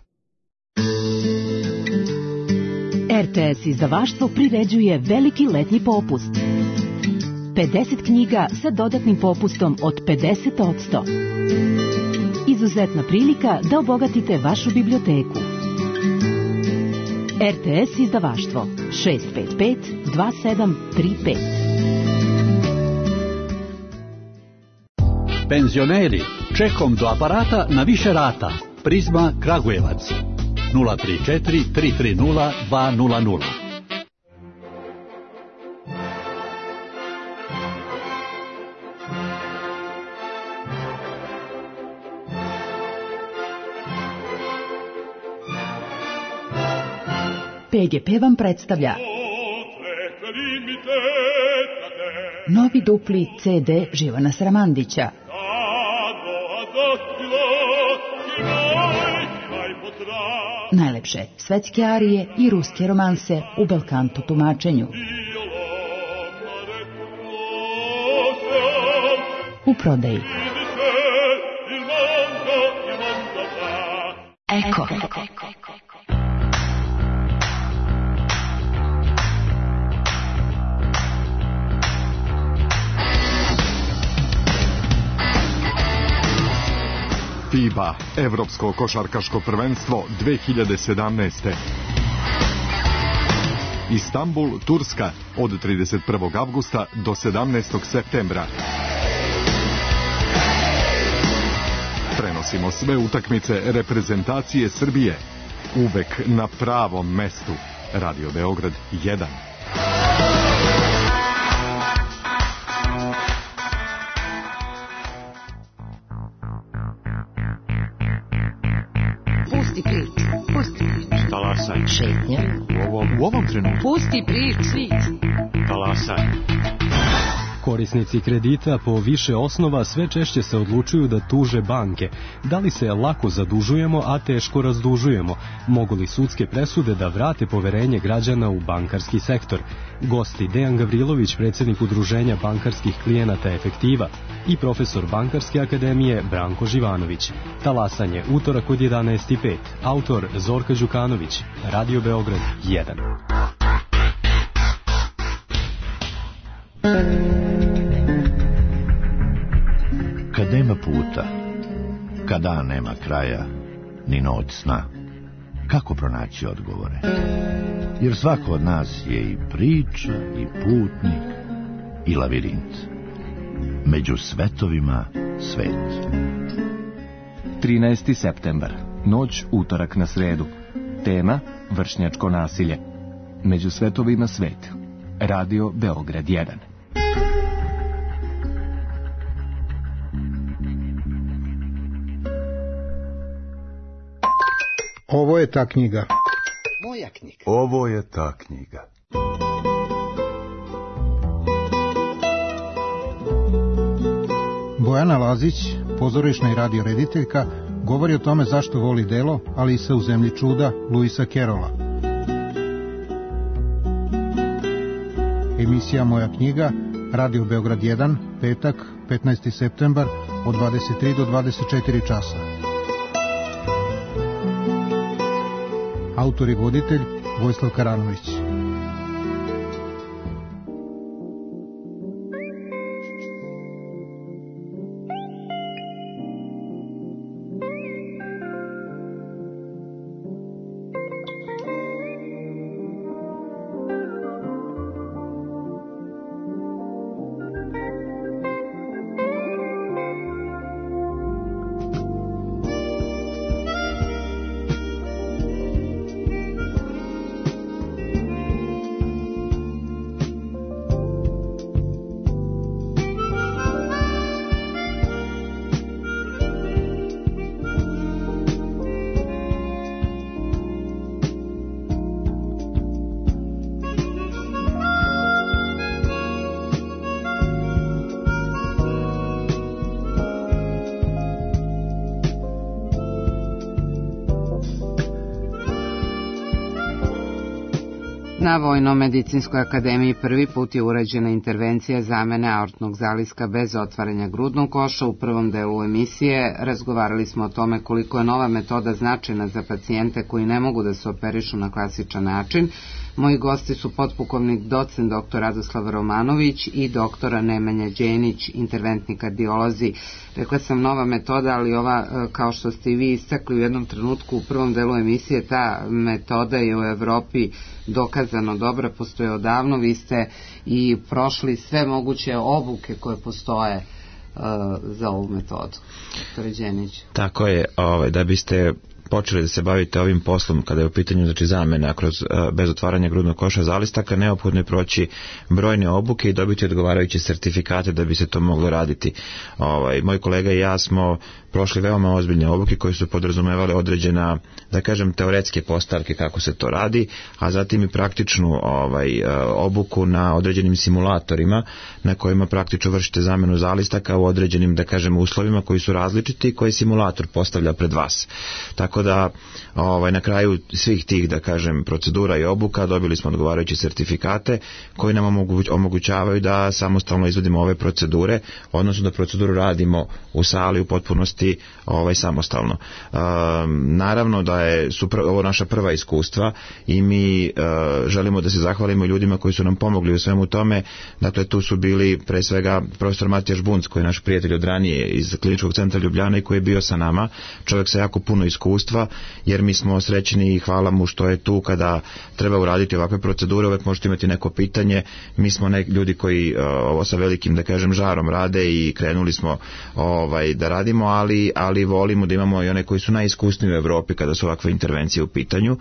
er te es izdavaštvo priređuje veliki letnji popust. pedeset knjiga sa dodatnim popustom od pedeset posto. Izuzetna prilika da obogatite vašu biblioteku. er te es izdavaštvo šest pet pet dva sedam tri pet. Penzioneri, čekom do aparata na više rata. Prizma Kragujevac nula tri četiri tri tri nula dva nula nula. pe ge pe vam predstavlja novi dupli ce de Živana Sramandića. Najlepše svetske arije i ruske romanse u belkanto tumačenju. U prodaji. Eko. FIBA, Evropsko košarkaško prvenstvo dve hiljade sedamnaeste. Istanbul, Turska, od trideset prvog avgusta do sedamnaestog septembra. Prenosimo sve utakmice reprezentacije Srbije. Uvek na pravom mestu. Radio Beograd jedan. Pusti prič, pusti prič. Talasaj. Šetnja. U ovom, u ovom trenutku. Pusti prič, svić. Talasaj. Korisnici kredita po više osnova sve češće se odlučuju da tuže banke. Da li se lako zadužujemo, a teško razdužujemo? Mogu li sudske presude da vrate poverenje građana u bankarski sektor? Gosti Dejan Gavrilović, predsjednik Udruženja bankarskih klijenata Efektiva, i profesor Bankarske akademije Branko Živanović. Talasanje, utorak od jedanaest i pet. Autor Zorka Đukanović. Radio Beograd jedan. Kad nema puta, kad dan nema kraja, ni noć sna, kako pronaći odgovore? Jer svako od nas je i priča, i putnik, i lavirint. Među svetovima svet. trinaesti septembar, noć utorak na sredu. Tema: vršnjačko nasilje. među svetovima sveta. Radio Beograd jedan. Ovo je ta knjiga. Moja knjiga. Ovo je ta knjiga. Bojana Lazić, pozorišna i radio rediteljka, govori o tome zašto voli delo Alisa u zemlji čuda Luisa Kerola. Emisija Moja knjiga, Radio Beograd jedan, petak, petnaesti septembar, od dvadeset tri do dvadeset četiri časa. Autor i voditelj Vojislav Karanović. Na Vojno-medicinskoj akademiji prvi put je urađena intervencija zamene aortnog zaliska bez otvaranja grudnog koša. U prvom delu emisije razgovarali smo o tome koliko je nova metoda značajna za pacijente koji ne mogu da se operišu na klasičan način. Moji gosti su potpukovnik docent doktor Radoslav Romanović i doktora Nemanja Đenić, interventni kardiolozi. Rekla sam nova metoda, ali ova, kao što ste i vi istakli u jednom trenutku u prvom delu emisije, ta metoda je u Evropi dokazano dobra, postoje odavno. Vi ste i prošli sve moguće obuke koje postoje uh, za ovu metodu. Doktor Đenić. Tako je, ovaj, da biste počeli da se bavite ovim poslom kada je u pitanju znači zamena kroz bez otvaranja grudnog koša zalistaka, neophodno je proći brojne obuke i dobiti odgovarajuće sertifikate da bi se to moglo raditi. Ovaj moj kolega i ja smo prošli veoma ozbiljne obuke koje su podrazumevale određena, da kažem, teoretske postavke kako se to radi, a zatim i praktičnu ovaj obuku na određenim simulatorima na kojima praktično vršite zamenu zalistaka u određenim, da kažem, uslovima koji su različiti i koje simulator postavlja pred vas. Tako da ovaj, na kraju svih tih, da kažem, procedura i obuka dobili smo odgovarajuće sertifikate koji nam omoguć, omogućavaju da samostalno izvodimo ove procedure, odnosno da proceduru radimo u sali u potpunosti ovaj, samostalno. E, naravno da je su pr- ovo naša prva iskustva i mi e, želimo da se zahvalimo ljudima koji su nam pomogli u svemu tome. Dakle, tu su bili pre svega profesor Matija Žbunc, koji je naš prijatelj od ranije iz Kliničkog centra Ljubljana i koji je bio sa nama, čovjek sa jako puno iskustva, jer mi smo srećni i hvala mu što je tu kada treba uraditi ovakve procedure. Uvek možete imati neko pitanje. Mi smo nek ljudi koji uh, ovo sa velikim, da kažem, žarom rade i krenuli smo ovaj, da radimo, ali, ali volimo da imamo i one koji su najiskusniji u Evropi kada su ovakve intervencije u pitanju,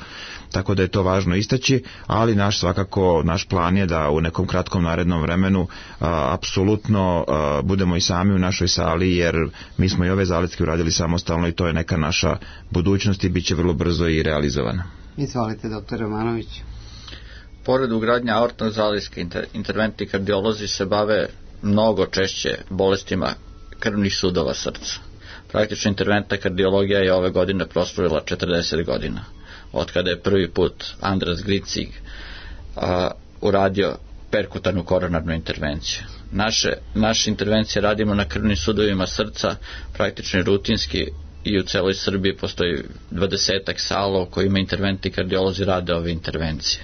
tako da je to važno istaći, ali naš svakako, naš plan je da u nekom kratkom narednom vremenu uh, apsolutno uh, budemo i sami u našoj sali, jer mi smo i ove zalitke uradili samostalno i to je neka naša budućnost i bit će vrlo brzo i realizovana. Izvolite, doktor Romanović. Pored ugradnja aortnog zaliska, inter, interventni kardiolozi se bave mnogo češće bolestima krvnih sudova srca. Praktično interventna kardiologija je ove godine proslavila četrdeset godina, od kada je prvi put Andras Gricig a, uradio perkutarnu koronarnu intervenciju. Naše, naše intervencije radimo na krvnim sudovima srca, praktično rutinski, i u celoj Srbiji postoji dvadesetak sala u kojima interventni kardiolozi rade ove intervencije.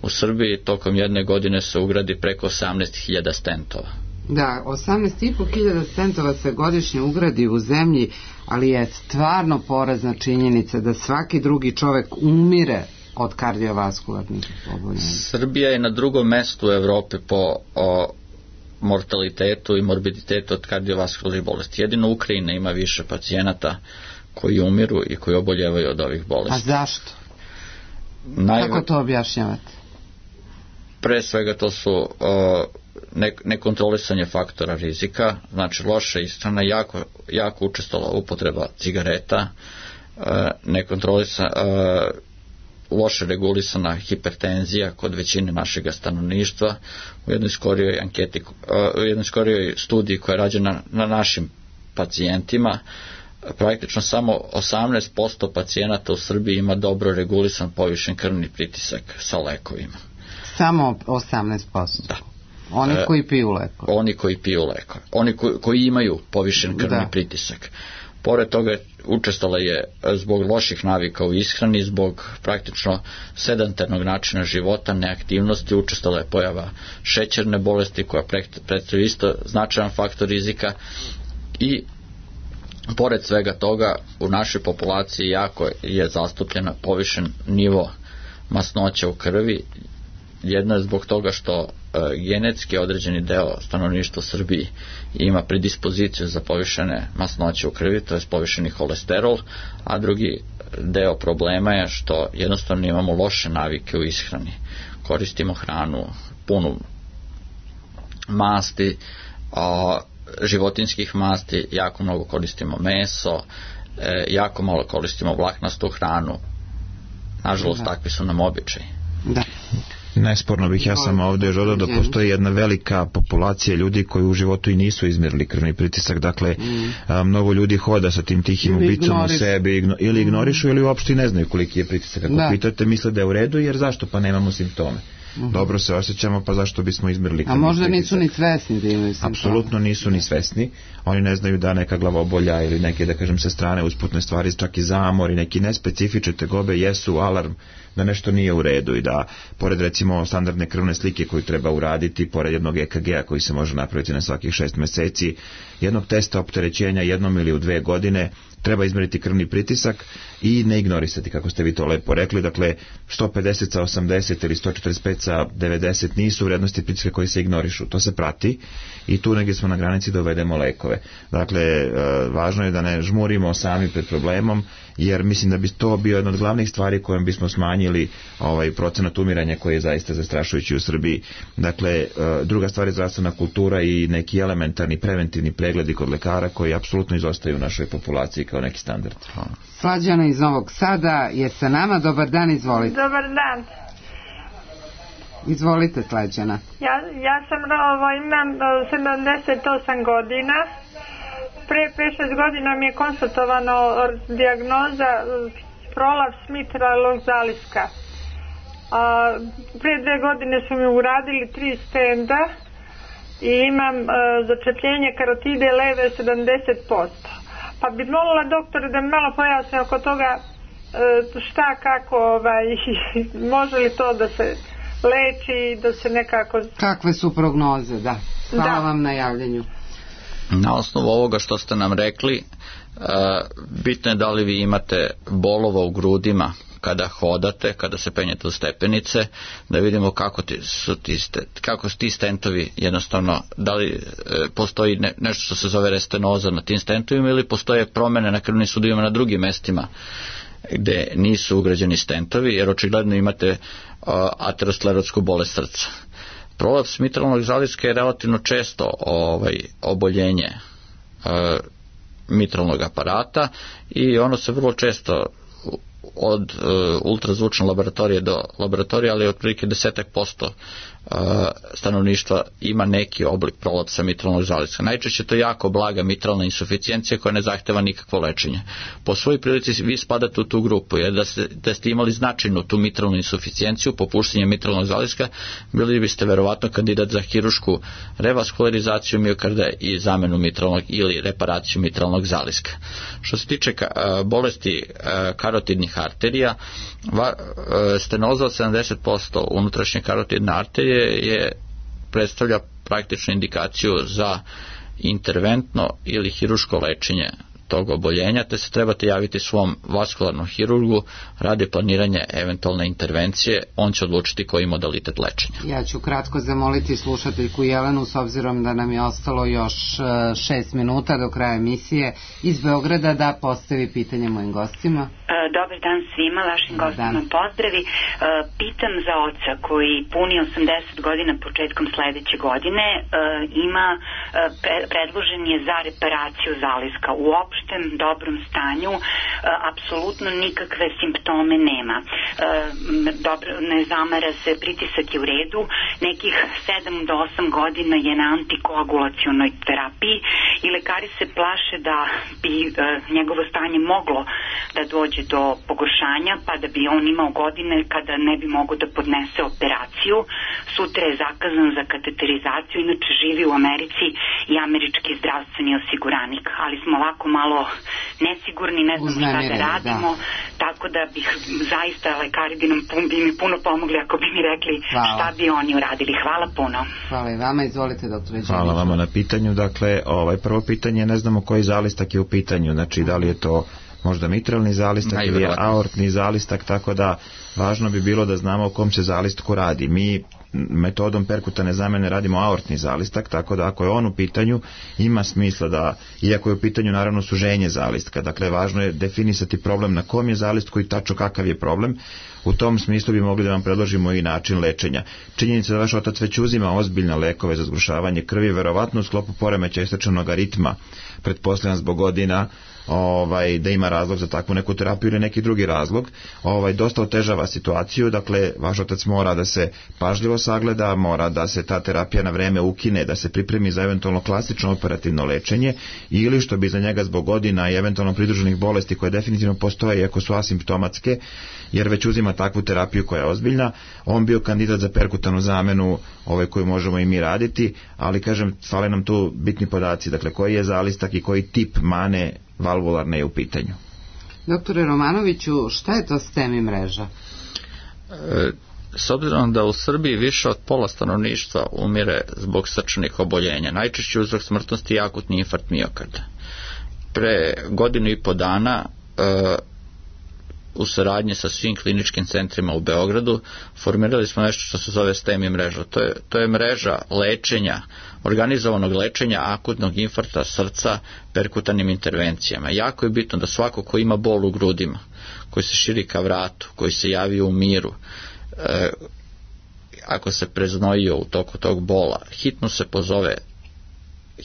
U Srbiji tokom jedne godine se ugradi preko osamnaest hiljada stentova. Da, osamnaest i po hiljada stentova se godišnje ugradi u zemlji, ali je stvarno porazna činjenica da svaki drugi čovek umire od kardiovaskularnih oboljenja. Srbija je na drugom mestu u Evropi po o, mortalitetu i morbiditetu od kardiovaskularnih bolesti. Jedino Ukrajina ima više pacijenata koji umiru i koji oboljevaju od ovih bolesti. A zašto? Najve... Kako to objašnjavate? Pre svega to su uh, nekontrolisanje faktora rizika, znači loša ishrana, jako, jako učestala upotreba cigareta, uh, nekontrolisana, uh, loše regulisana hipertenzija kod većine našeg stanovništva. U jednoj skorijoj anketi, uh, u jednoj skorijoj studiji koja je rađena na našim pacijentima, praktično samo osamnaest posto pacijenata u Srbiji ima dobro regulisan povišen krvni pritisak sa lekovima. Samo osamnaest posto? Da. Oni koji piju lekove? Oni koji piju lekove. Oni koji, koji imaju povišen krvni da. pritisak. Pored toga učestala je zbog loših navika u ishrani, zbog praktično sedentarnog načina života, neaktivnosti, učestala je pojava šećerne bolesti koja predstavlja isto značajan faktor rizika i pored svega toga u našoj populaciji jako je zastupljena povišen nivo masnoća u krvi. Jedno je zbog toga što e, genetski određeni deo stanovništva u Srbiji ima predispoziciju za povišene masnoće u krvi, to je povišeni holesterol, a drugi deo problema je što jednostavno imamo loše navike u ishrani. Koristimo hranu punu masti, a, životinskih masti, jako mnogo koristimo meso, e, jako malo koristimo vlaknastu hranu. Nažalost, da. takvi su nam običaji. Da. Nesporno bih ja sam ovdje želeo da postoji jedna velika populacija ljudi koji u životu i nisu izmjerili krvni pritisak, dakle mm. a, mnogo ljudi hoda sa tim tihim ubicom u sebi igno, ili ignorišu ili uopšte ne znaju koliki je pritisak. Ako da. pitate, misle da je u redu, jer zašto? Pa nemamo simptome. Mm-hmm. Dobro se osjećamo, pa zašto bismo izmjerili krvni pritisak? A možda nisu ni svesni da imaju simptome? Apsolutno nisu ni svesni. Oni ne znaju da neka glavobolja ili neke, da kažem, sa strane usputne stvari, čak i zamor i neki nespecifične tegobe jesu alarm da nešto nije u redu i da, pored recimo standardne krvne slike koju treba uraditi, pored jednog E K G-a koji se može napraviti na svakih šest meseci, jednog testa opterećenja jednom ili u dve godine, treba izmeriti krvni pritisak i ne ignorisati, kako ste vi to lepo rekli. Dakle, sto pedeset sa osamdeset ili sto četrdeset pet sa devedeset nisu vrednosti pritiska koji se ignorišu. To se prati i tu negdje smo na granici da uvedemo lekove. Dakle, važno je da ne žmurimo sami pred problemom, jer mislim da bi to bio jedna od glavnih stvari kojom bismo smanjili ovaj procenat umiranja koji je zaista zastrašujući u Srbiji. Dakle, druga stvar je zdravstvena kultura i neki elementarni preventivni pregledi kod lekara koji apsolutno izostaju u našoj populaciji kao neki standard. Slađana iz Novog Sada je sa nama. Dobar dan, izvolite. Dobar dan. Izvolite, Slađana. Ja, ja sam ovo, imam sedamdeset osam godina. Pre pet šest godina mi je konstatovano dijagnoza prolaps mitralnog zaliska. A, pre dve godine su mi uradili tri stenda i imam a, začepljenje karotide leve sedamdeset posto. Pa bi molila doktore da mi malo pojasne oko toga a, šta, kako, ovaj, može li to da se leči, da se nekako... Kakve su prognoze, da. Hvala da. vam na javljanju. Na osnovu ovoga što ste nam rekli, uh, bitno je da li vi imate bolova u grudima kada hodate, kada se penjete u stepenice, da vidimo kako, ti, su, ti, kako su ti stentovi jednostavno, da li e, postoji ne, nešto što se zove restenoza na tim stentovima ili postoje promene na krvnim sudovima na drugim mestima gde nisu ugrađeni stentovi, jer očigledno imate uh, aterosklerotsku bolest srca. Prolaps mitralnog zaliska je relativno često ovaj, oboljenje uh, mitralnog aparata i ono se vrlo često od uh, ultrazvučne laboratorije do laboratorije, ali otprilike desetak posto uh, stanovništva ima neki oblik prolapsa mitralnog zaliska. Najčešće to je jako blaga mitralna insuficijencija koja ne zahteva nikakvo lečenje. Po svojoj prilici vi spadate u tu grupu, jer da ste, da ste imali značajnu tu mitralnu insuficijenciju, popuštanje mitralnog zaliska, bili biste verovatno kandidat za hirušku revaskularizaciju miokarda i zamenu mitralnog ili reparaciju mitralnog zaliska. Što se tiče uh, bolesti uh, karotidnih arterija, va, uh, stenoza od sedamdeset posto unutrašnje karotidne arterije je predstavlja praktičnu indikaciju za interventno ili hiruško lečenje tog oboljenja, te se trebate javiti svom vaskularnom hirurgu radi planiranja eventualne intervencije, on će odlučiti koji modalitet lečenja. Ja ću kratko zamoliti slušateljku Jelenu, s obzirom da nam je ostalo još šest minuta do kraja emisije, iz Beograda da postavi pitanje mojim gostima. Dobar dan svima, vašim gostima pozdravi. Pitam za oca koji puni osamdeset godina početkom sledeće godine, ima, predložen je za reparaciju zaliska u opštem dobrom stanju, apsolutno nikakve simptome nema. Dobro, ne zamara se, pritisak je u redu, nekih sedam do osam godina je na antikoagulacionoj terapiji i lekari se plaše da bi njegovo stanje moglo da dođe do pogoršanja, pa da bi on imao godine kada ne bi mogao da podnese operaciju. Sutra je zakazan za kateterizaciju, inače živi u Americi i američki zdravstveni osiguranik, ali smo ovako malo nesigurni, ne znamo šta da radimo, da. Tako da bih zaista, lekari bi, nam, bi mi puno pomogli ako bi mi rekli Hvala. Šta bi oni uradili. Hvala puno. Hvala i vama, izvolite doktore Đeliću. Hvala vama na pitanju. Dakle, ovaj prvo pitanje, ne znamo koji zalistak je u pitanju, znači da li je to možda mitralni zalistak ili aortni zalistak, tako da važno bi bilo da znamo o kom se zalistku radi. Mi metodom perkutane zamene radimo aortni zalistak, tako da ako je on u pitanju, ima smisla da, iako je u pitanju naravno suženje zalistka, dakle važno je definisati problem na kom je zalistku i tačno kakav je problem. U tom smislu bi mogli da vam predložimo i način lečenja. Činjenica da vaš otac već uzima ozbiljne lekove za zgrušavanje krvi, verovatno u sklopu poremećaja srčanog ritma, pretpostavljam zbog godina, ovaj, da ima razlog za takvu neku terapiju ili neki drugi razlog, ovaj, dosta otežava situaciju, dakle vaš otac mora da se pažljivo sagleda, mora da se ta terapija na vreme ukine, da se pripremi za eventualno klasično operativno lečenje ili što bi za njega zbog godina i eventualno pridruženih bolesti koje definitivno postoje iako su asimptomatske, jer već uzima takvu terapiju koja je ozbiljna, on bio kandidat za perkutanu zamenu ovaj, koju možemo i mi raditi, ali kažem, fale nam tu bitni podaci, dakle koji je zalistak i koji tip mane valvularne je u pitanju. Doktore Romanoviću, šta je to STEMI mreža? E, s obzirom da u Srbiji više od pola stanovništva umire zbog srčanih oboljenja, najčešći uzrok smrtnosti je akutni infarkt miokarda. Pre godinu i po dana e, u saradnji sa svim kliničkim centrima u Beogradu formirali smo nešto što se zove STEMI mreža. To je, to je mreža lečenja, organizovanog lečenja akutnog infarkta srca perkutanim intervencijama. Jako je bitno da svako ko ima bol u grudima, koji se širi ka vratu, koji se javi u miru, e, ako se preznojio u toku tog bola, hitno se pozove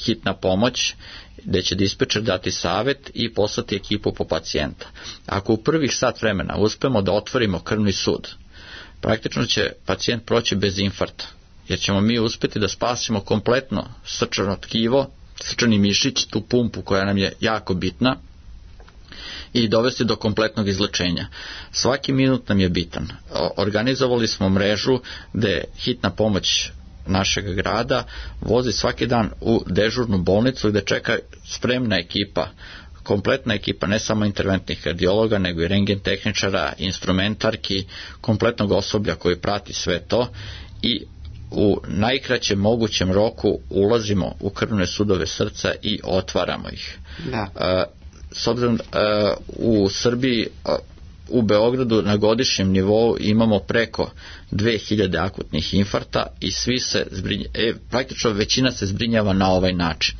hitna pomoć, gde će dispečer dati savet i poslati ekipu po pacijenta. Ako u prvih sat vremena uspemo da otvorimo krvni sud, praktično će pacijent proći bez infarkta, jer ćemo mi uspeti da spasimo kompletno srčano tkivo, srčani mišić, tu pumpu koja nam je jako bitna, i dovesti do kompletnog izlečenja. Svaki minut nam je bitan. Organizovali smo mrežu gde hitna pomoć našeg grada vozi svaki dan u dežurnu bolnicu gde čeka spremna ekipa, kompletna ekipa, ne samo interventnih kardiologa, nego i rentgen tehničara, instrumentarki, kompletnog osoblja koji prati sve to i u najkraćem mogućem roku ulazimo u krvne sudove srca i otvaramo ih. Da. S obzirom u Srbiji, u Beogradu na godišnjem nivou imamo preko dve hiljade akutnih infarkta i svi se zbrinja, e, praktično većina se zbrinjava na ovaj način.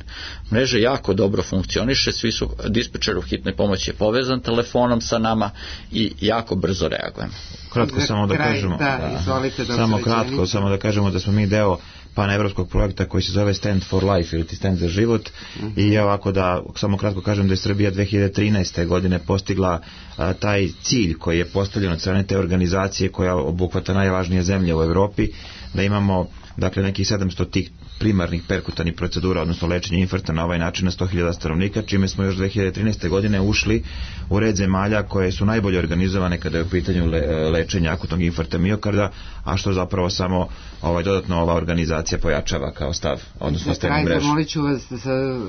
Mreža jako dobro funkcioniše, svi su, dispečer u hitnoj pomoći je povezan telefonom sa nama i jako brzo reagujemo. Kratko samo da kažemo, da, izvolite, samo kratko, samo da kažemo da smo mi deo panevropskog projekta koji se zove Stand for Life ili Stand za život, uh-huh. I ovako da samo kratko kažem da je Srbija dve hiljade trinaeste. godine postigla a, taj cilj koji je postavljen od strane te organizacije koja obuhvata najvažnije zemlje u Evropi, da imamo dakle nekih sedamsto tih primarnih perkutanih procedura, odnosno lečenje infarkta na ovaj način na sto hiljada stanovnika, čime smo još dve hiljade trinaeste. godine ušli u red zemalja koje su najbolje organizovane kada je u pitanju le, lečenja akutnog infarkta miokarda, a što zapravo samo ovaj, dodatno ova organizacija pojačava kao stav, odnosno STEMI mreža. Zamolit ću vas za,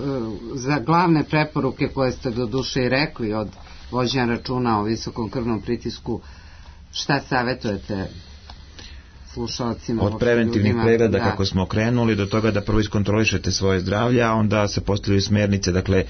za glavne preporuke koje ste do duše i rekli od vođenja računa o visokom krvnom pritisku, šta savjetujete slušalcima. Od preventivnih ljudima, pregleda da. kako smo krenuli do toga da prvo iskontrolišete svoje zdravlje, a onda se postavljaju smjernice, dakle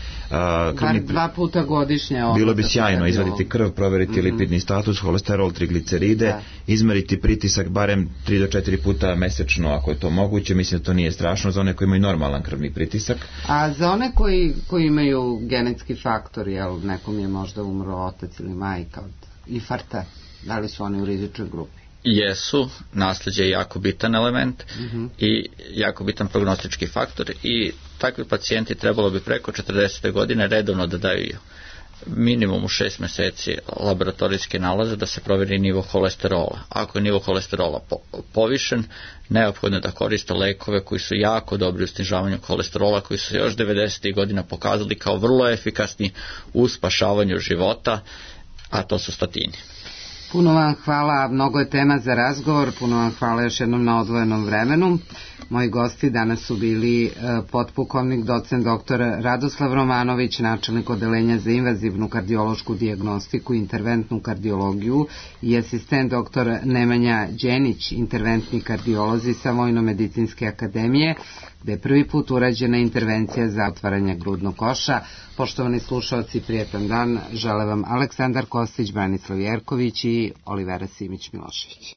krvni... Bar dva puta godišnje. Bilo bi sjajno izvaditi krv, proveriti mm-hmm. lipidni status, holesterol, trigliceride, da. Izmeriti pritisak barem tri do četiri puta mesečno ako je to moguće. Mislim da to nije strašno za one koji imaju normalan krvni pritisak. A za one koji, koji imaju genetski faktor, jel, nekom je možda umro otac ili majka od infarkta, da li su oni u rizičnoj grupi? Jesu, nasleđe je jako bitan element mm-hmm. i jako bitan prognostički faktor i takvi pacijenti trebalo bi preko četrdeset godine redovno da daju minimum u šest meseci laboratorijske nalaze da se proveri nivo holesterola. Ako je nivo holesterola po- povišen, neophodno je da koriste lekove koji su jako dobri u snižavanju holesterola, koji su još devedesetih godina pokazali kao vrlo efikasni u spašavanju života, a to su statini. Puno vam hvala, mnogo je tema za razgovor, puno vam hvala još jednom na odvojenom vremenu. Moji gosti danas su bili e, potpukovnik docent doktor Radoslav Romanović, načelnik odeljenja za invazivnu kardiološku dijagnostiku i interventnu kardiologiju i asistent doktor Nemanja Đenić, interventni kardiolozi sa Vojno-medicinske akademije, gde je prvi put urađena intervencija za otvaranje grudnog koša. Poštovani slušalci, prijetan dan, žele vam Aleksandar Kostić, Branislav Jerković i Olivera Simić-Milošević.